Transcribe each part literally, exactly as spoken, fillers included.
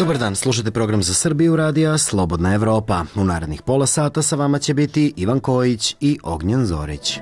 Dobar dan, slušate program za Srbiju radija Slobodna Evropa. U narednih pola sata sa vama će biti Ivan Kojić i Ognjen Zorić.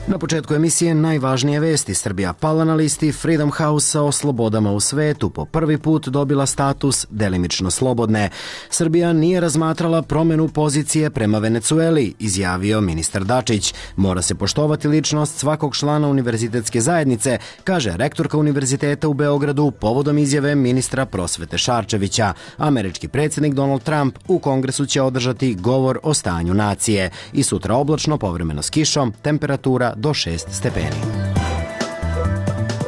Na početku emisije najvažnije vesti. Srbija pala na listi Freedom House-a o slobodama u svetu. Po prvi put dobila status delimično slobodne. Srbija nije razmatrala promenu pozicije prema Venecueli, izjavio ministar Dačić. Mora se poštovati ličnost svakog člana univerzitetske zajednice, kaže rektorka Univerziteta u Beogradu povodom izjave ministra prosvete Šarčevića. Američki predsjednik Donald Trump u Kongresu će održati govor o stanju nacije. I sutra oblačno, povremeno s kišom, temperatura do šest stepeni.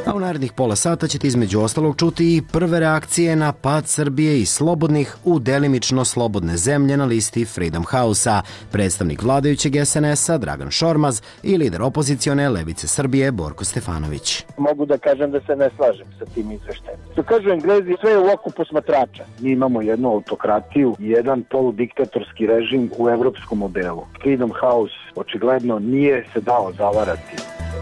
A u narednih pola sata ćete između ostalog čuti i prve reakcije na pad Srbije i slobodnih u delimično slobodne zemlje na listi Freedom House-a, predstavnik vladajućeg es en es-a Dragan Šormaz i lider opozicione Levice Srbije Borko Stefanović. Mogu da kažem da se ne slažem sa tim izveštajem. Što kažu Englezi, sve je u oku posmatrača. Mi imamo jednu autokratiju i jedan poludiktatorski režim u evropskom modelu. Freedom House očigledno nije se dao zavarati.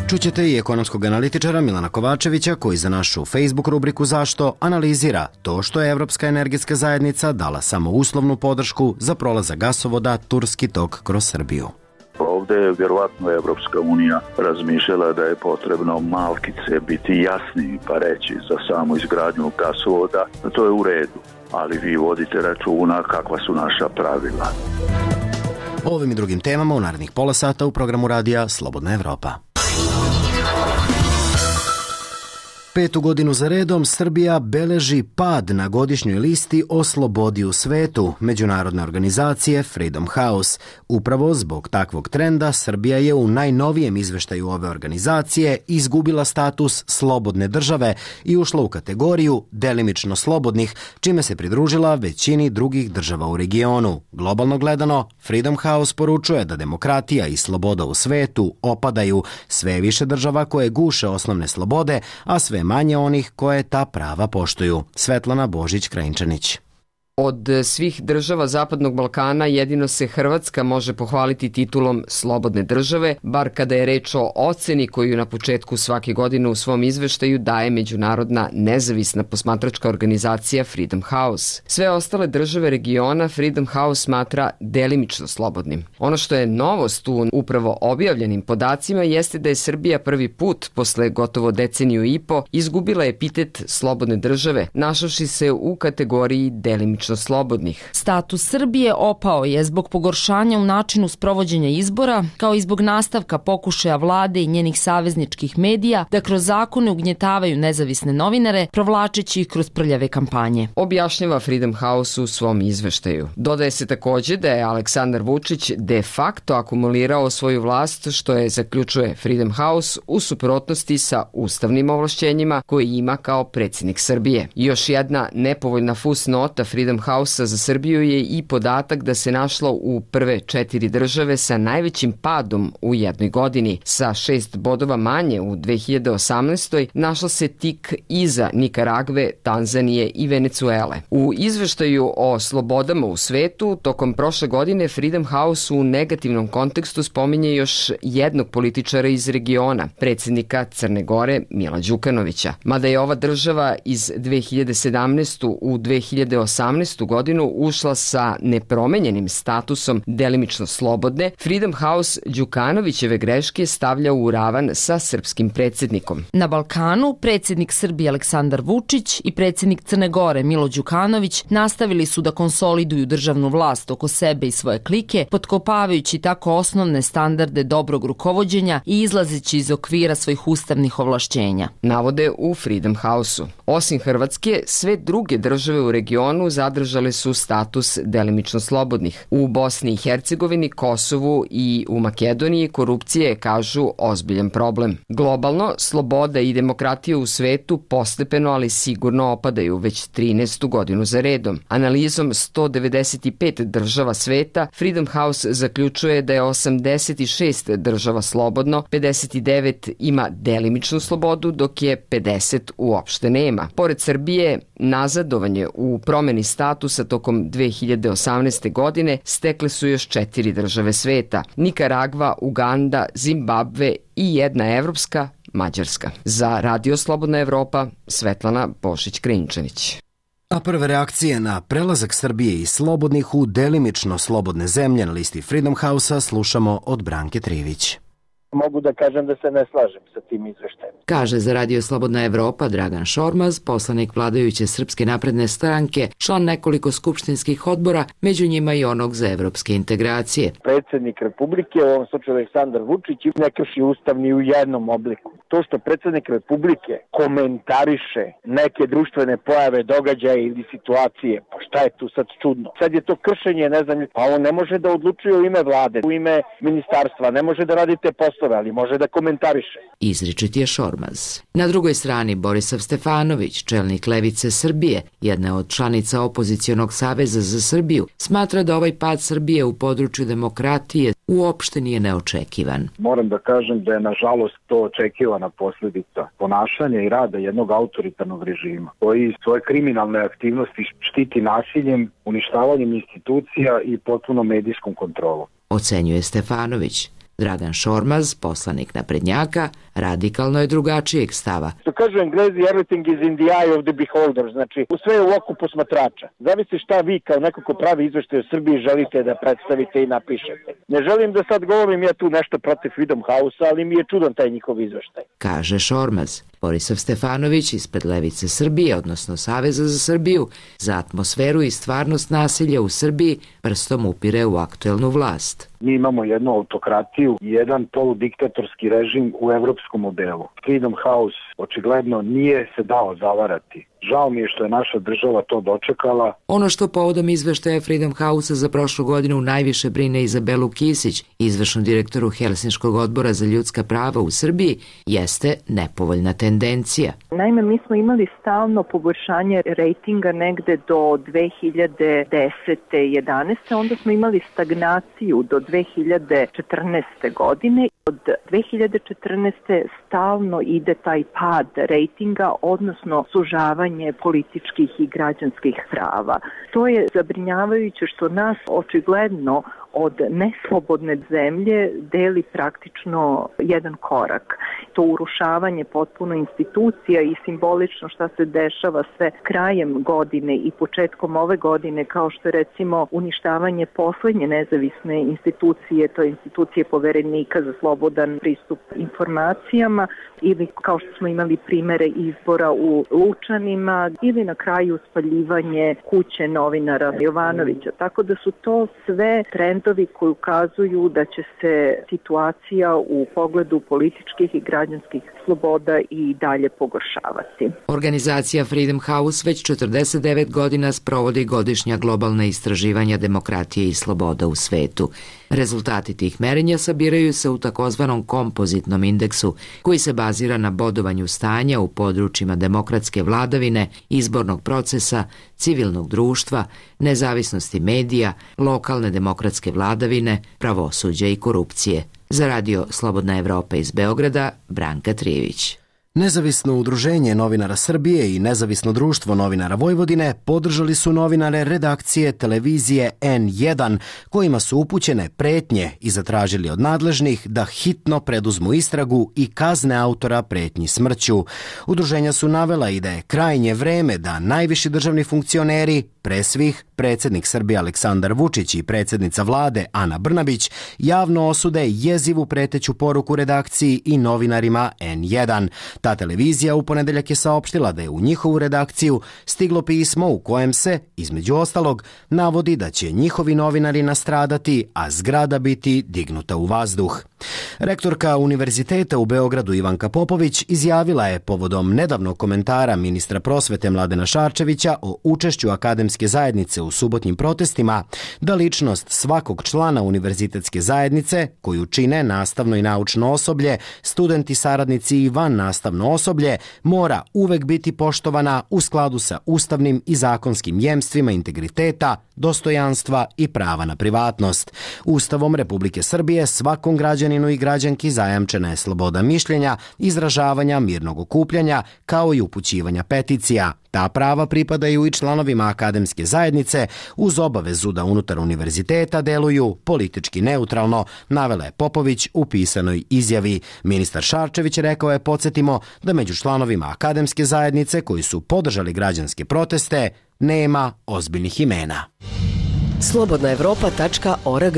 Čućete i ekonomskog analitičara Milana Kovačevića koji za našu Facebook rubriku Zašto analizira to što je Evropska energetska zajednica dala samo uslovnu podršku za prolazak gasovoda Turski tok kroz Srbiju. Ovde je vjerovatno Evropska unija razmišljala da je potrebno malkice biti jasniji pa reći za samu izgradnju gasovoda. To je u redu, ali vi vodite računa kakva su naša pravila. O ovim i drugim temama u narednih pola sata u programu radija Slobodna Evropa. Petu godinu za redom Srbija beleži pad na godišnjoj listi o slobodi u svetu međunarodne organizacije Freedom House. Upravo zbog takvog trenda Srbija je u najnovijem izveštaju ove organizacije izgubila status slobodne države i ušla u kategoriju delimično slobodnih, čime se pridružila većini drugih država u regionu. Globalno gledano, Freedom House poručuje da demokratija i sloboda u svetu opadaju, sve više država koje guše osnovne slobode, a sve manje onih koje ta prava poštuju. Svetlana Božić-Krajinčanić. Od svih država Zapadnog Balkana jedino se Hrvatska može pohvaliti titulom slobodne države, bar kada je reč o oceni koju na početku svake godine u svom izveštaju daje međunarodna nezavisna posmatračka organizacija Freedom House. Sve ostale države regiona Freedom House smatra delimično slobodnim. Ono što je novost u upravo objavljenim podacima jeste da je Srbija prvi put posle gotovo deceniju i po izgubila epitet slobodne države, našavši se u kategoriji delimično slobodnih. Status Srbije opao je zbog pogoršanja u načinu sprovođenja izbora, kao i zbog nastavka pokušaja vlade i njenih savezničkih medija da kroz zakone ugnjetavaju nezavisne novinare, provlačeći ih kroz prljave kampanje. Objašnjava Freedom House u svom izveštaju. Dodaje se takođe da je Aleksandar Vučić de facto akumulirao svoju vlast, što je, zaključuje Freedom House, u suprotnosti sa ustavnim ovlašćenjima koje ima kao predsjednik Srbije. Još jedna nepovoljna fusnota Freedom House-a za Srbiju je i podatak da se našlo u prve četiri države sa najvećim padom u jednoj godini. Sa šest bodova manje u dve hiljade osamnaestoj našla se tik iza Nikaragve, Tanzanije i Venecuele. U izveštaju o slobodama u svetu tokom prošle godine Freedom House u negativnom kontekstu spominje još jednog političara iz regiona, predsjednika Crne Gore Mila Đukanovića. Mada je ova država iz dve hiljade sedamnaeste. u dve hiljade osamnaestu. godinu ušla sa nepromenjenim statusom delimično slobodne, Freedom House Đukanovićeve greške stavlja u ravan sa srpskim predsjednikom. Na Balkanu predsjednik Srbije Aleksandar Vučić i predsjednik Crne Gore Milo Đukanović nastavili su da konsoliduju državnu vlast oko sebe i svoje klike, potkopavajući tako osnovne standarde dobrog rukovođenja i izlazeći iz okvira svojih ustavnih ovlašćenja. Navode u Freedom House-u. Osim Hrvatske, sve druge države u regionu zadržale su status delimično slobodnih. U Bosni i Hercegovini, Kosovu i u Makedoniji korupcija je, kažu, ozbiljan problem. Globalno, sloboda i demokratija u svetu postepeno, ali sigurno opadaju već trinaestu godinu za redom. Analizom sto devedeset pet država sveta, Freedom House zaključuje da je osamdeset šest država slobodno, pedeset devet ima delimičnu slobodu, dok je pedeset uopšte nema. Pored Srbije, nazadovanje u promeni statusa tokom dve hiljade osamnaeste. godine stekle su još četiri države sveta: Nikaragva, Uganda, Zimbabve i jedna evropska, Mađarska. Za Radio Slobodna Evropa, Svetlana Bošić-Krinčević. A prve reakcije na prelazak Srbije iz slobodnih u delimično slobodne zemlje na listi Freedom House-a slušamo od Branke Trivić. Mogu da kažem da se ne slažem sa tim izveštajem. Kaže za Radio Slobodna Evropa Dragan Šormaz, poslanik vladajuće Srpske napredne stranke, član nekoliko skupštinskih odbora, među njima i onog za evropske integracije. Predsjednik Republike, u ovom slučaju Aleksandar Vučić, ne krši ustav ni u jednom obliku. To što predsjednik Republike komentariše neke društvene pojave, događaje ili situacije, pa šta je tu sad čudno? Sad je to kršenje, ne znam, pa on ne može da odlučuje u ime vlade, u ime ministarstva, ne može da radi te poslove, ali može da komentariše. Izričit je Šormaz. Na drugoj strani Borisav Stefanović, čelnik Levice Srbije, jedna od članica opozicionog saveza za Srbiju, smatra da ovaj pad Srbije u području demokratije uopšte nije neočekivan. Moram da kažem da je nažalost to očekivana posljedica ponašanja i rada jednog autoritarnog režima koji svoje kriminalne aktivnosti štiti nasiljem, uništavanjem institucija i potpuno medijskom kontrolom. Ocenjuje Stefanović. Dragan Šormaz, poslanik naprednjaka, radikalno je drugačijeg stava. Što kažu Englezi, everything is in the eye of the beholder, znači sve je u oku posmatrača. Zavisi šta vi kao neko ko pravi izveštaj o Srbiji želite da predstavite i napišete. Ne želim da sad govorim ja tu nešto protiv Freedom House-a, ali mi je čudan taj njihov izveštaj. Kaže Šormaz. Borisav Stefanović ispred Levice Srbije, odnosno Saveza za Srbiju, za atmosferu i stvarnost nasilja u Srbiji prstom upire u aktuelnu vlast. Mi imamo jednu autokratiju i jedan poludiktatorski režim u evropskom modelu. Freedom House očigledno nije se dao zavarati. Žao mi je što je naša država to dočekala. Ono što povodom izveštaja Freedom House-a za prošlu godinu najviše brine Izabelu Kisić, izvršnu direktoru Helsinškog odbora za ljudska prava u Srbiji, jeste nepovoljna tendencija. Naime, mi smo imali stalno poboljšanje rejtinga negde do dve hiljade desete jedanaeste onda smo imali stagnaciju do dve hiljade četrnaeste godine. Od dve hiljade četrnaeste stalno ide taj pad rejtinga, odnosno sužavanje političkih i građanskih prava. To je zabrinjavajuće što nas očigledno od neslobodne zemlje deli praktično jedan korak. To urušavanje potpuno institucija i simbolično šta se dešava sve krajem godine i početkom ove godine, kao što je recimo uništavanje poslednje nezavisne institucije, to je institucije Poverenika za slobodan pristup informacijama, ili kao što smo imali primere izbora u Lučanima, ili na kraju spaljivanje kuće novinara Jovanovića. Tako da su to sve trendovi koji ukazuju da će se situacija u pogledu političkih i građanskih sloboda i dalje pogoršavati. Organizacija Freedom House već četrdeset devet godina sprovodi godišnja globalna istraživanja demokratije i sloboda u svetu. Rezultati tih merenja sabiraju se u takozvanom kompozitnom indeksu, koji se bazira na bodovanju stanja u područjima demokratske vladavine, izbornog procesa, civilnog društva, nezavisnosti medija, lokalne demokratske vladavine, pravosuđa i korupcije. Za Radio Slobodna Evropa iz Beograda, Branka Trivić. Nezavisno udruženje novinara Srbije i Nezavisno društvo novinara Vojvodine podržali su novinare redakcije televizije en jedan, kojima su upućene pretnje i zatražili od nadležnih da hitno preduzmu istragu i kazne autora pretnji smrću. Udruženja su navela i da je krajnje vreme da najviši državni funkcioneri, pre svih predsjednik Srbije Aleksandar Vučić i predsjednica vlade Ana Brnabić, javno osude jezivu preteću poruku redakciji i novinarima en jedan. Ta televizija u ponedeljak je saopštila da je u njihovu redakciju stiglo pismo u kojem se, između ostalog, navodi da će njihovi novinari nastradati, a zgrada biti dignuta u vazduh. Rektorka Univerziteta u Beogradu Ivanka Popović izjavila je povodom nedavnog komentara ministra prosvete Mladena Šarčevića o učešću akademske zajednice u subotnjim protestima da ličnost svakog člana univerzitetske zajednice, koju čine nastavno i naučno osoblje, studenti, saradnici i van nastavno osoblje, mora uvek biti poštovana u skladu sa ustavnim i zakonskim jemstvima integriteta, dostojanstva i prava na privatnost. Ustavom Republike Srbije svakom građaninu građaninu i građanki zajamčena je sloboda mišljenja, izražavanja, mirnog okupljanja, kao i upućivanja peticija. Ta prava pripadaju i članovima akademske zajednice uz obavezu da unutar univerziteta deluju politički neutralno, navela je Popović u pisanoj izjavi. Ministar Šarčević rekao je, podsjetimo, da među članovima akademske zajednice koji su podržali građanske proteste nema ozbiljnih imena. slobodna evropa tačka org.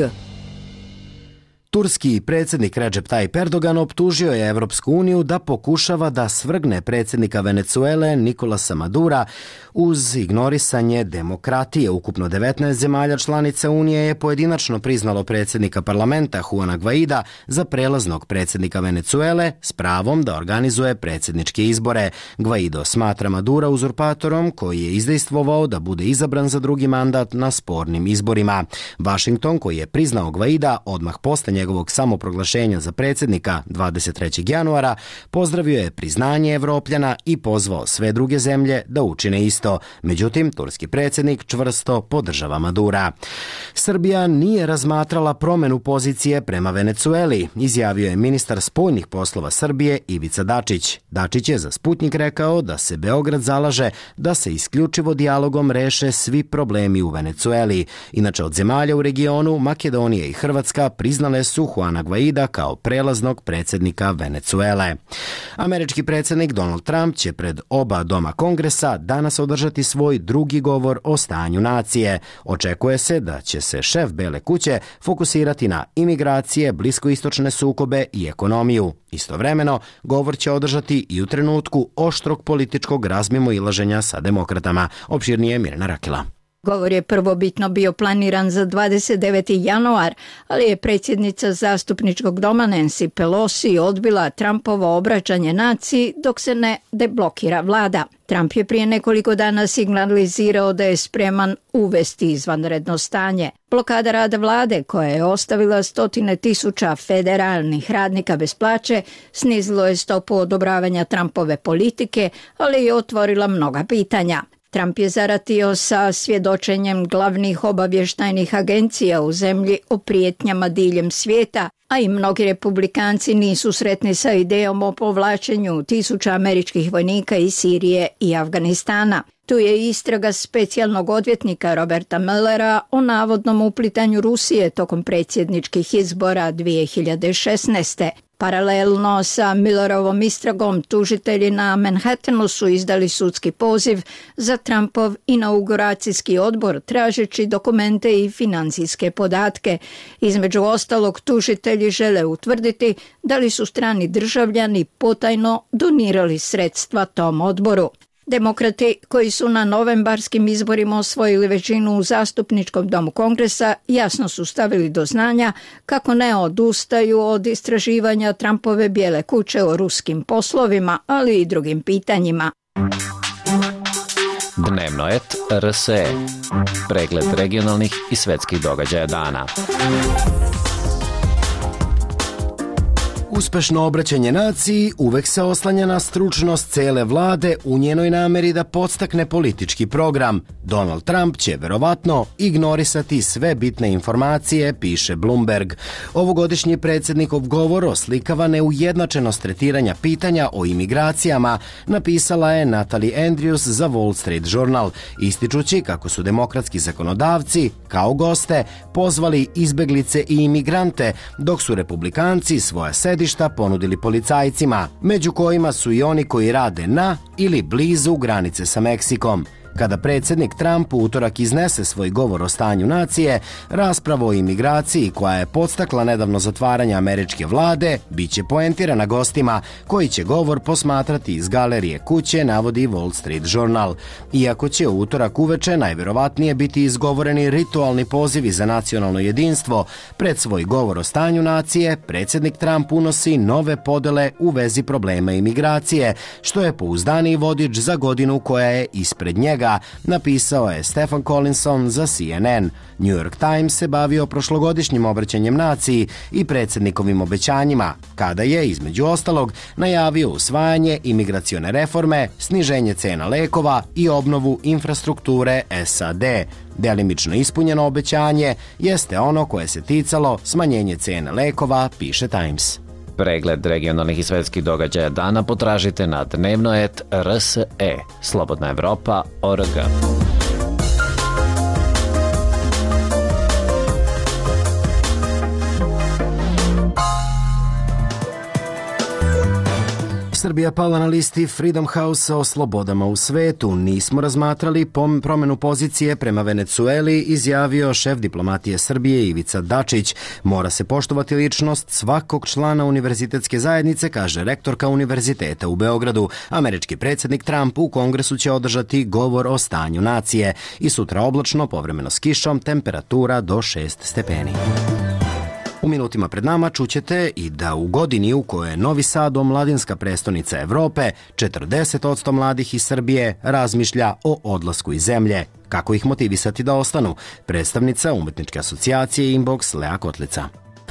Turski predsjednik Recep Tayyip Erdogan optužio je Evropsku uniju da pokušava da svrgne predsjednika Venecuele Nicolasa Madura uz ignorisanje demokratije. Ukupno devetnaest zemalja članica Unije je pojedinačno priznalo predsjednika parlamenta Juana Guaida za prelaznog predsjednika Venecuele s pravom da organizuje predsjedničke izbore. Guaido smatra Madura uzurpatorom koji je izdejstvovao da bude izabran za drugi mandat na spornim izborima. Washington, koji je priznao Guaida odmah posle njegovog samoproglašenja za predsjednika dvadeset trećeg januara, pozdravio je priznanje Evropljana i pozvao sve druge zemlje da učine isto. Međutim, turski predsjednik čvrsto podržava Madura. Srbija nije razmatrala promenu pozicije prema Venecueli, izjavio je ministar spoljnih poslova Srbije Ivica Dačić. Dačić je za Sputnjik rekao da se Beograd zalaže da se isključivo dijalogom reše svi problemi u Venecueli. Inače, od zemalja u regionu, Makedonija i Hrvatska priznale su Juana Guaida kao prelaznog predsjednika Venecuele. Američki predsjednik Donald Trump će pred oba doma Kongresa danas održati svoj drugi govor o stanju nacije. Očekuje se da će se šef Bele kuće fokusirati na imigracije, bliskoistočne sukobe i ekonomiju. Istovremeno, govor će održati i u trenutku oštrog političkog razmimoilaženja sa demokratama. Opširnije Mirjana Rakela. Govor je prvobitno bio planiran za dvadeset deveti januar, ali je predsjednica zastupničkog doma Nancy Pelosi odbila Trumpovo obraćanje naciji dok se ne deblokira vlada. Trump je prije nekoliko dana signalizirao da je spreman uvesti izvanredno stanje. Blokada rada vlade, koja je ostavila stotine tisuća federalnih radnika bez plaće, snizilo je stopu odobravanja Trumpove politike, ali je otvorila mnoga pitanja. Trump je zaratio sa svjedočenjem glavnih obavještajnih agencija u zemlji o prijetnjama diljem svijeta, a i mnogi republikanci nisu sretni sa idejom o povlačenju tisuća američkih vojnika iz Sirije i Afganistana. Tu je istraga specijalnog odvjetnika Roberta Muellera o navodnom uplitanju Rusije tokom predsjedničkih izbora dvije hiljade šesnaeste. Paralelno sa Muellerovom istragom, tužitelji na Manhattanu su izdali sudski poziv za Trumpov inauguracijski odbor tražeći dokumente i financijske podatke. Između ostalog, tužitelji žele utvrditi da li su strani državljani potajno donirali sredstva tom odboru. Demokrati, koji su na novembarskim izborima osvojili većinu u zastupničkom domu Kongresa, jasno su stavili do znanja kako ne odustaju od istraživanja Trumpove Bijele kuće o ruskim poslovima, ali i drugim pitanjima. Dnevnoet R S E. Pregled regionalnih i svetskih događaja dana. Uspešno obraćanje naciji uvek se oslanja na stručnost cele vlade u njenoj nameri da podstakne politički program. Donald Trump će verovatno ignorisati sve bitne informacije, piše Bloomberg. Ovogodišnji predsjednikov govor oslikava neujednačenost tretiranja pitanja o imigracijama, napisala je Natalie Andrews za Wall Street Journal, ističući kako su demokratski zakonodavci, kao goste, pozvali izbeglice i imigrante, dok su republikanci svoja sedišta ponudili policajcima, među kojima su i oni koji rade na ili blizu granice sa Meksikom. Kada predsjednik Trump u utorak iznese svoj govor o stanju nacije, rasprava o imigraciji koja je podstakla nedavno zatvaranje američke vlade biće poentirana gostima koji će govor posmatrati iz galerije kuće, navodi Wall Street Journal. Iako će u utorak uveče najvjerovatnije biti izgovoreni ritualni pozivi za nacionalno jedinstvo, pred svoj govor o stanju nacije predsjednik Trump unosi nove podele u vezi problema imigracije, što je pouzdaniji vodič za godinu koja je ispred njega, namera, napisao je Stephen Collinson za C N N. New York Times se bavio prošlogodišnjim obraćanjem naciji i predsjednikovim obećanjima, kada je, između ostalog, najavio usvajanje imigracione reforme, sniženje cena lekova i obnovu infrastrukture S A D. Delimično ispunjeno obećanje jeste ono koje se ticalo smanjenje cene lekova, piše Times. Pregled regionalnih i svetskih događaja dana potražite na dnevno et R S E, Slobodna Evropa tačka org. Srbija pala na listi Freedom House-a o slobodama u svetu. Nismo razmatrali pom promenu pozicije prema Venecueli, izjavio šef diplomatije Srbije Ivica Dačić. Mora se poštovati ličnost svakog člana univerzitetske zajednice, kaže rektorka univerziteta u Beogradu. Američki predsjednik Trump u Kongresu će održati govor o stanju nacije. I sutra oblačno, povremeno s kišom, temperatura do šest stepeni. U minutima pred nama čućete i da u godini u kojoj je Novi Sad omladinska prestonica Evrope, četrdeset posto mladih iz Srbije razmišlja o odlasku iz zemlje. Kako ih motivisati da ostanu? Predstavnica Umetničke asocijacije Inbox Lea Kotlica.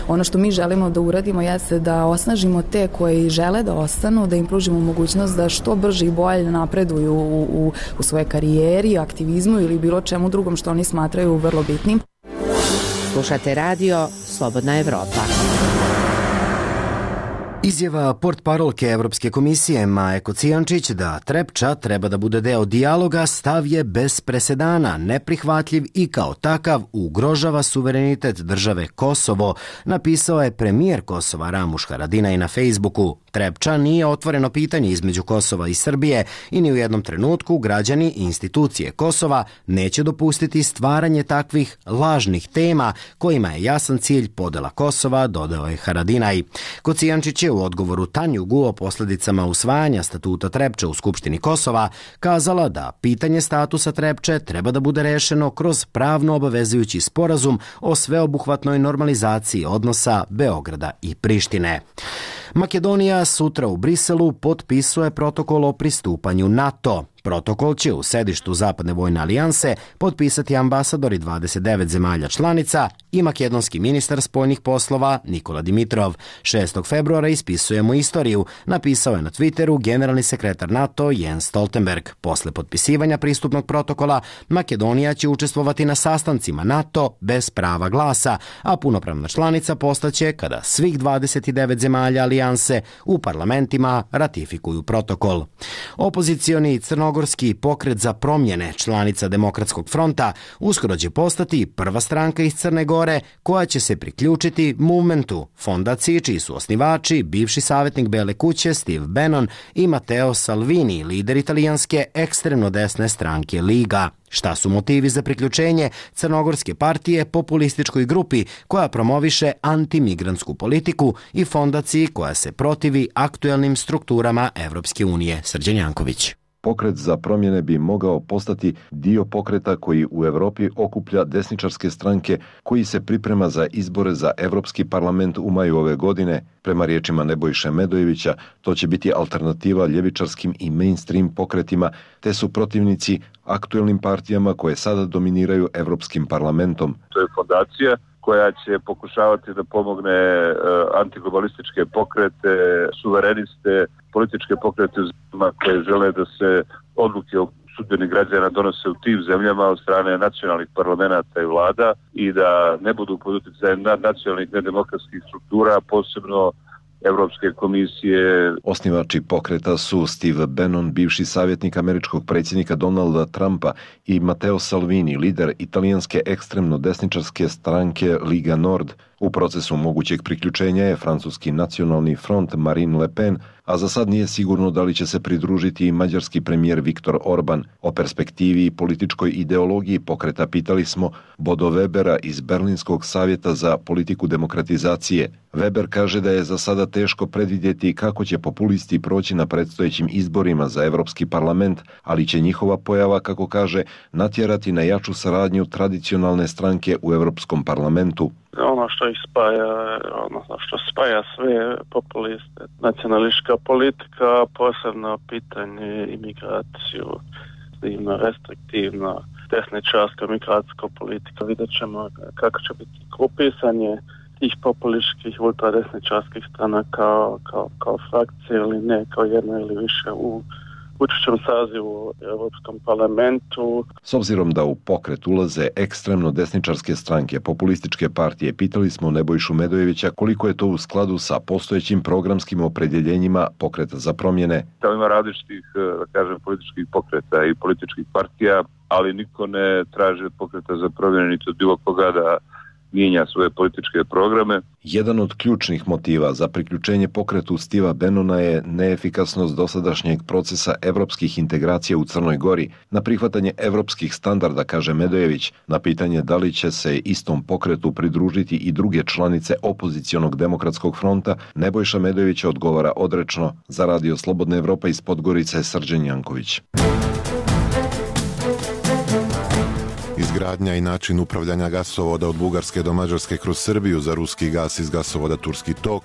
Ono što mi želimo da uradimo jeste da osnažimo te koji žele da ostanu, da im pružimo mogućnost da što brže i bolje napreduju u, u, u svojoj karijeri, aktivizmu ili bilo čemu drugom što oni smatraju vrlo bitnim. Slušate radio Slobodna Evropa. Izjava portparolke Evropske komisije Maje Kocijančić da Trepča treba da bude deo dijaloga stav je bez presedana, neprihvatljiv i kao takav ugrožava suverenitet države Kosovo, napisao je premijer Kosova Ramuš Haradinaj na Facebooku. Trepča nije otvoreno pitanje između Kosova i Srbije i ni u jednom trenutku građani i institucije Kosova neće dopustiti stvaranje takvih lažnih tema kojima je jasan cilj podela Kosova, dodao je Haradinaj. Kocijančić je u odgovoru Tanjugu o posljedicama usvajanja statuta Trepče u Skupštini Kosova kazala da pitanje statusa Trepče treba da bude rešeno kroz pravno obavezujući sporazum o sveobuhvatnoj normalizaciji odnosa Beograda i Prištine. Makedonija sutra u Briselu potpisuje protokol o pristupanju NATO. Protokol će u sedištu Zapadne vojne alijanse potpisati ambasadori dvadeset devet zemalja članica i makedonski ministar spoljnih poslova Nikola Dimitrov. šestog februara ispisujemo istoriju, napisao je na Twitteru generalni sekretar NATO Jens Stoltenberg. Posle potpisivanja pristupnog protokola, Makedonija će učestvovati na sastancima NATO bez prava glasa, a punopravna članica postaće kada svih dvadeset devet zemalja alijanse u parlamentima ratifikuju protokol. Opozicioni Crnogorski Crnogorski pokret za promjene, članica Demokratskog fronta, uskoro će postati prva stranka iz Crne Gore koja će se priključiti Movementu, fondaciji čiji su osnivači bivši savjetnik Bele kuće Steve Bannon i Matteo Salvini, lider italijanske ekstremno desne stranke Liga. Šta su motivi za priključenje Crnogorske partije populističkoj grupi koja promoviše antimigrantsku politiku i fondaciji koja se protivi aktuelnim strukturama Evropske unije? Srđan Janković. Pokret za promjene bi mogao postati dio pokreta koji u Evropi okuplja desničarske stranke koji se priprema za izbore za Evropski parlament u maju ove godine. Prema riječima Nebojše Medojevića, to će biti alternativa ljevičarskim i mainstream pokretima, te su protivnici aktuelnim partijama koje sada dominiraju Evropskim parlamentom. To je fondacija koja će pokušavati da pomogne antiglobalističke pokrete, suvereniste, političke pokrete koje žele da se odluke o sudbini građana donose u tim zemljama od strane nacionalnih parlamenta i vlada i da ne budu pod utjecajem nacionalnih nedemokratskih struktura, posebno Evropske komisije. Osnivači pokreta su Steve Bannon, bivši savjetnik američkog predsjednika Donalda Trumpa, i Matteo Salvini, lider italijanske ekstremno desničarske stranke Liga Nord. U procesu mogućeg priključenja je francuski nacionalni front Marine Le Pen, a za sad nije sigurno da li će se pridružiti i mađarski premijer Viktor Orban. O perspektivi i političkoj ideologiji pokreta pitali smo Bodo Webera iz Berlinskog savjeta za politiku demokratizacije. Weber kaže da je za sada teško predvidjeti kako će populisti proći na predstojećim izborima za Evropski parlament, ali će njihova pojava, kako kaže, natjerati na jaču saradnju tradicionalne stranke u Evropskom parlamentu. Ono što ih spaja, ono što spaja sve populiste, nacionalistička politika, posebno pitanje imigraciju, restriktivna, restriktivna desničarska migracijska politika. Vidjet ćemo kako će biti grupisanje tih populističkih ultradesničarskih strana kao, kao, kao frakcije ili ne, kao jedno ili više u budućem sazivu u Europskom parlamentu. S obzirom da u pokret ulaze ekstremno desničarske stranke, populističke partije, pitali smo Nebojšu Medojevića koliko je to u skladu sa postojećim programskim opredjeljenjima Pokreta za promjene. Da ima različitih, da kažem, političkih pokreta i političkih partija, ali niko ne traži od Pokreta za promjene niti od bilo koga da mijenja svoje političke programe. Jedan od ključnih motiva za priključenje pokretu Steva Bannona je neefikasnost dosadašnjeg procesa evropskih integracija u Crnoj Gori. Na prihvatanje evropskih standarda, kaže Medojević, na pitanje da li će se istom pokretu pridružiti i druge članice opozicionog demokratskog fronta, Nebojša Medojević odgovara odrečno. Za Radio Slobodna Evropa iz Podgorice, Srđan Janković. Izgradnja i način upravljanja gasovoda od Bugarske do Mađarske kroz Srbiju za ruski gas iz gasovoda Turski tok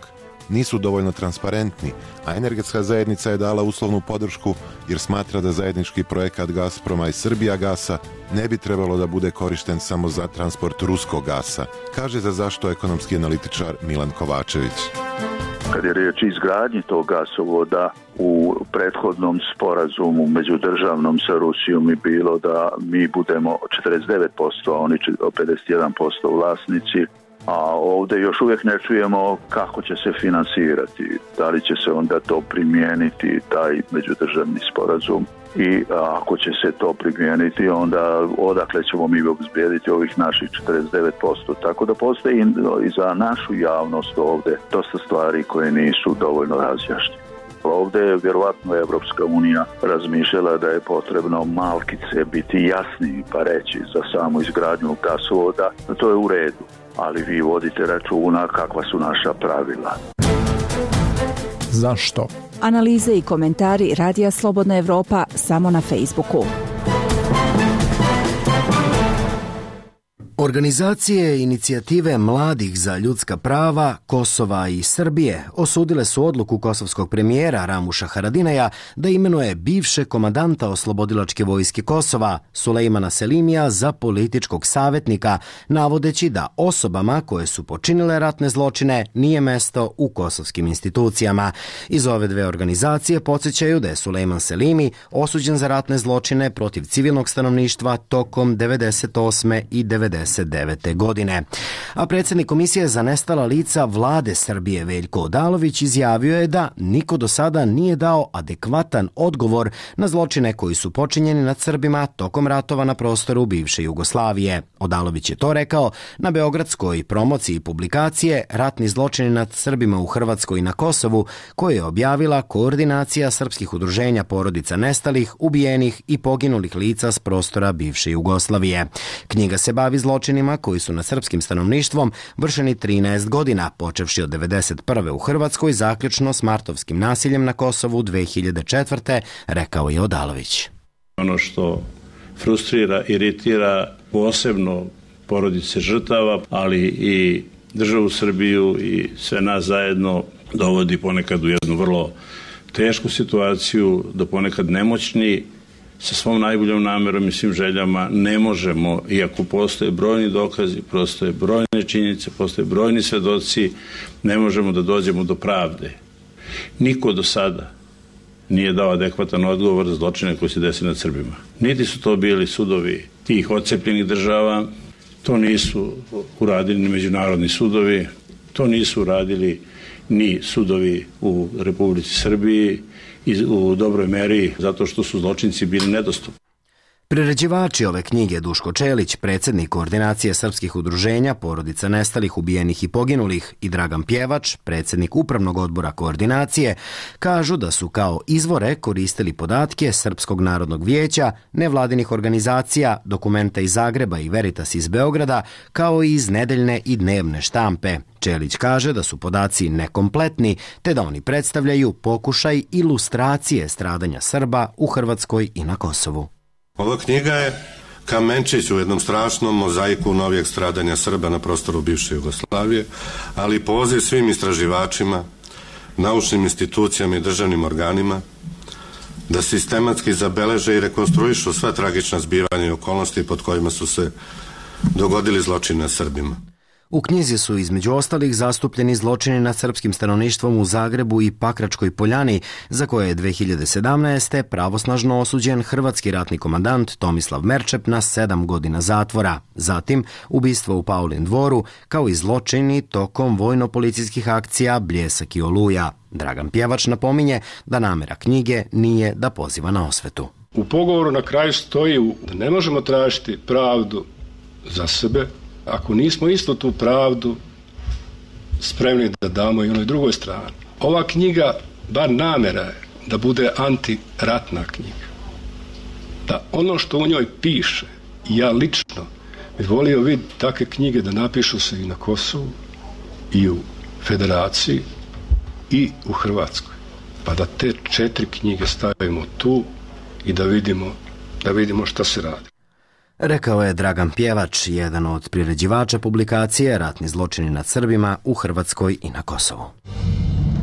nisu dovoljno transparentni, a energetska zajednica je dala uslovnu podršku jer smatra da zajednički projekat Gazproma i Srbijagasa ne bi trebalo da bude korišten samo za transport ruskog gasa, kaže za zašto ekonomski analitičar Milan Kovačević. Kad je riječ o izgradnji tog gasovoda, u prethodnom sporazumu međudržavnom sa Rusijom je bilo da mi budemo četrdeset devet posto, a oni pedeset jedan posto vlasnici, a ovdje još uvijek ne čujemo kako će se finansirati, da li će se onda to primijeniti, taj međudržavni sporazum, i ako će se to primijeniti, onda odakle ćemo mi obezbijediti ovih naših četrdeset devet posto. Tako da postoji i za našu javnost ovdje dosta stvari koje nisu dovoljno razjašnjene. Ovdje je vjerovatno Evropska unija razmišljala da je potrebno malkice biti jasniji pa reći za samu izgradnju gasovoda. To je u redu, ali vi vodite računa kakva su naša pravila. Zašto? Analize i komentari Radija Slobodna Evropa samo na Facebooku. Organizacije inicijative mladih za ljudska prava Kosova i Srbije osudile su odluku kosovskog premijera Ramuša Haradinaja da imenuje bivše komandanta oslobodilačke vojske Kosova Sulejmana Selimija za političkog savjetnika, navodeći da osobama koje su počinile ratne zločine nije mesto u kosovskim institucijama. Iz ove dve organizacije podsjećaju da je Sulejman Selimi osuđen za ratne zločine protiv civilnog stanovništva tokom devedeset osme i devedeset devete godine. A predsjednik Komisije za nestala lica vlade Srbije Veljko Odalović izjavio je da niko do sada nije dao adekvatan odgovor na zločine koji su počinjeni nad Srbima tokom ratova na prostoru bivše Jugoslavije. Odalović je to rekao na beogradskoj promociji publikacije Ratni zločini nad Srbima u Hrvatskoj i na Kosovu, koju je objavila Koordinacija srpskih udruženja porodica nestalih, ubijenih i poginulih lica s prostora bivše Jugoslavije. Knjiga se bavi zločinima koji su nad srpskim stanovništvom vršeni trinaest godina, počevši od devedeset prve u Hrvatskoj, zaključno s martovskim nasiljem na Kosovu dve hiljade četvrte, rekao je Odalović. Ono što frustrira, iritira posebno porodice žrtava, ali i državu Srbiju i sve nas zajedno dovodi ponekad u jednu vrlo tešku situaciju, da ponekad nemoćni sa svom najboljom namerom i svim željama ne možemo, iako postoje brojni dokazi, postoje brojne činjenice, postoje brojni svedoci, ne možemo da dođemo do pravde. Niko do sada nije dao adekvatan odgovor za zločine koji se desi nad Srbima. Niti su to bili sudovi tih odcepljenih država, to nisu uradili ni međunarodni sudovi, to nisu uradili ni sudovi u Republici Srbiji, i u dobroj meri zato što su zločinci bili nedostupni. Priređivači ove knjige Duško Čelić, predsjednik Koordinacije srpskih udruženja porodica nestalih, ubijenih i poginulih, i Dragan Pjevač, predsjednik Upravnog odbora Koordinacije, kažu da su kao izvore koristili podatke Srpskog narodnog vijeća, nevladinih organizacija, dokumenta iz Zagreba i Veritas iz Beograda, kao i iz nedeljne i dnevne štampe. Čelić kaže da su podaci nekompletni, te da oni predstavljaju pokušaj ilustracije stradanja Srba u Hrvatskoj i na Kosovu. Ova knjiga je kamenčić u jednom strašnom mozaiku novijeg stradanja Srba na prostoru bivše Jugoslavije, ali poziv svim istraživačima, naučnim institucijama i državnim organima da sistematski zabeleže i rekonstruišu sva tragična zbivanja i okolnosti pod kojima su se dogodili zločini nad Srbima. U knjizi su između ostalih zastupljeni zločini nad srpskim stanovništvom u Zagrebu i Pakračkoj Poljani, za koje je dve hiljade sedamnaeste. pravosnažno osuđen hrvatski ratni komandant Tomislav Merčep na sedam godina zatvora. Zatim, ubistvo u Paulin dvoru, kao i zločini tokom vojno-policijskih akcija Bljesak i Oluja. Dragan Pjevač napominje da namera knjige nije da poziva na osvetu. U pogovoru na kraju stoji da ne možemo tražiti pravdu za sebe ako nismo isto tu pravdu spremni da damo i onoj drugoj strani. Ova knjiga, bar namera je da bude antiratna knjiga. Da ono što u njoj piše, i ja lično bih volio vidjeti takve knjige da napišu se i na Kosovu, i u Federaciji, i u Hrvatskoj. Pa da te četiri knjige stavimo tu i da vidimo, da vidimo šta se radi. Rekao je Dragan Pjevač, jedan od priređivača publikacije Ratni zločini nad Srbima u Hrvatskoj i na Kosovu.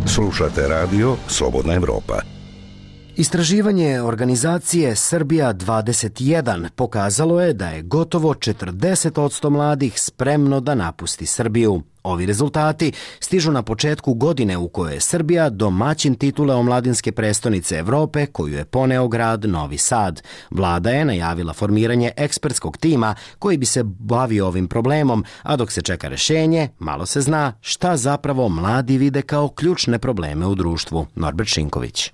Slušate radio Slobodna Evropa. Istraživanje organizacije Srbija dvadeset jedan pokazalo je da je gotovo četrdeset posto mladih spremno da napusti Srbiju. Ovi rezultati stižu na početku godine u kojoj je Srbija domaćin titule omladinske prestonice Evrope koju je poneo grad Novi Sad. Vlada je najavila formiranje ekspertskog tima koji bi se bavio ovim problemom, a dok se čeka rešenje, malo se zna šta zapravo mladi vide kao ključne probleme u društvu. Norbert Šinković.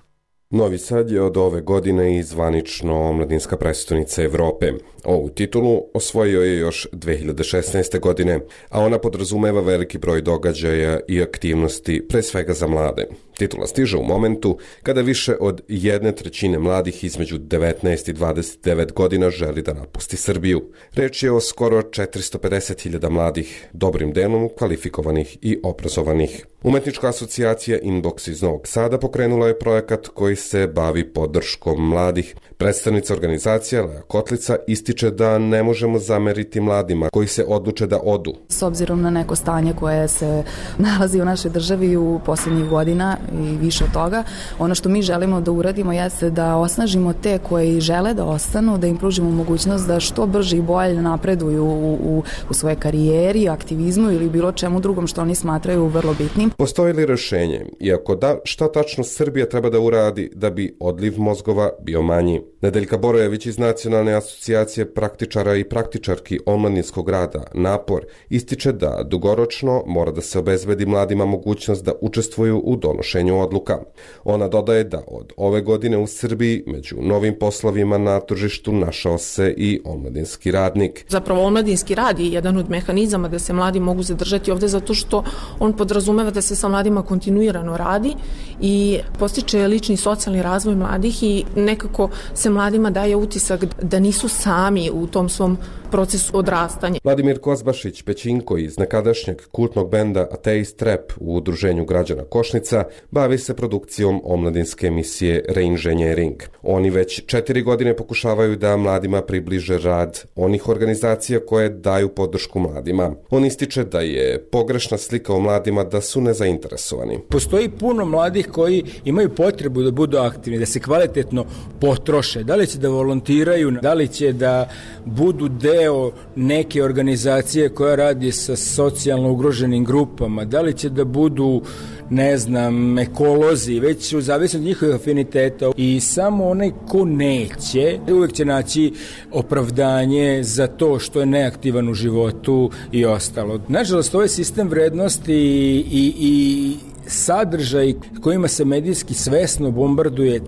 Novi Sad je od ove godine i zvanično omladinska prestonica Evrope. Ovu titulu osvojio je još dve hiljade šesnaeste. godine, a ona podrazumeva veliki broj događaja i aktivnosti, pre svega za mlade. Titula stiže u momentu kada više od jedne trećine mladih između devetnaest i dvadeset devet godina želi da napusti Srbiju. Reč je o skoro četiristo pedeset hiljada mladih, dobrim delom kvalifikovanih i obrazovanih. Umetnička asocijacija Inbox iz Novog Sada pokrenula je projekat koji se bavi podrškom mladih. Predstavnica organizacija Lea Kotlica ističe da ne možemo zameriti mladima koji se odluče da odu. S obzirom na neko stanje koje se nalazi u našoj državi u posljednjih godina i više od toga, ono što mi želimo da uradimo jeste da osnažimo te koji žele da ostanu, da im pružimo mogućnost da što brže i bolje napreduju u, u, u svojoj karijeri, aktivizmu ili bilo čemu drugom što oni smatraju vrlo bitnim. Postoji li rešenje? Iako da, šta tačno Srbija treba da uradi da bi odliv mozgova bio manji? Nedeljka Borojević iz Nacionalne asocijacije praktičara i praktičarki omladinskog rada Napor ističe da dugoročno mora da se obezbedi mladima mogućnost da učestvuju u donošenju odluka. Ona dodaje da od ove godine u Srbiji među novim poslovima na tržištu našao se i omladinski radnik. Zapravo omladinski rad je jedan od mehanizama da se mladi mogu zadržati ovde zato što on podrazumeva da se sa mladima kontinuirano radi i postiče lični i socijalni razvoj mladih i nekako se mladima daje utisak da nisu sami u tom svom procesu odrastanja. Vladimir Kozbašić Pećinko iz nekadašnjeg kultnog benda Ateist Rap u Udruženju građana Košnica bavi se produkcijom omladinske emisije Reinženjering. Oni već četiri godine pokušavaju da mladima približe rad onih organizacija koje daju podršku mladima. On ističe da je pogrešna slika o mladima da su nezainteresovani. Postoji puno mladih koji imaju potrebu da budu aktivni, da se kvalitetno potroše. Da li će da volontiraju, da li će da budu deo neke organizacije koja radi sa socijalno ugroženim grupama, da li će da budu, ne znam, ekolozi, već u zavisnosti od njihovih afiniteta i samo onaj ko neće, uvijek će naći opravdanje za to što je neaktivan u životu i ostalo. Nažalost, ovaj sistem vrednosti i, i, i sadržaj kojima se medijski svesno bombarduje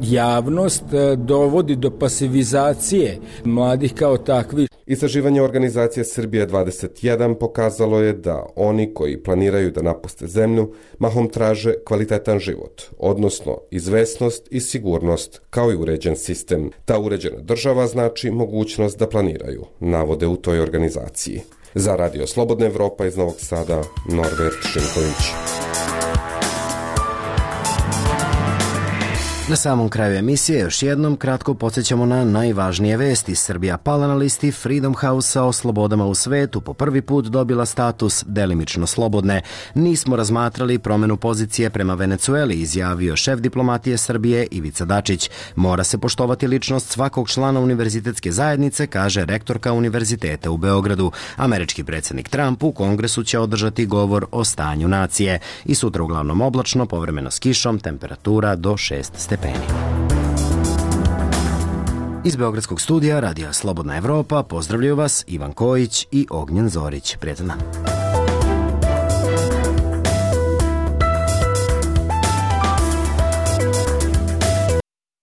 javnost dovodi do pasivizacije mladih kao takvi. Istraživanje organizacije Srbija dvadeset jedan pokazalo je da oni koji planiraju da napuste zemlju mahom traže kvalitetan život, odnosno izvesnost i sigurnost kao i uređen sistem. Ta uređena država znači mogućnost da planiraju, navode u toj organizaciji. Za Radio Slobodna Evropa iz Novog Sada, Norbert Šinković. Na samom kraju emisije još jednom kratko podsjećamo na najvažnije vesti. Srbija pala na listi Freedom House-a o slobodama u svetu, po prvi put dobila status delimično slobodne. Nismo razmatrali promenu pozicije prema Venecueli, izjavio šef diplomatije Srbije Ivica Dačić. Mora se poštovati ličnost svakog člana univerzitetske zajednice, kaže rektorka univerziteta u Beogradu. Američki predsjednik Trump u Kongresu će održati govor o stanju nacije. I sutra uglavnom oblačno, povremeno s kišom, temperatura do šest stepeni. Iz Beogradskog studija Radija Slobodna Evropa pozdravljaju vas Ivan Kojić i Ognjen Zorić. Prijatno.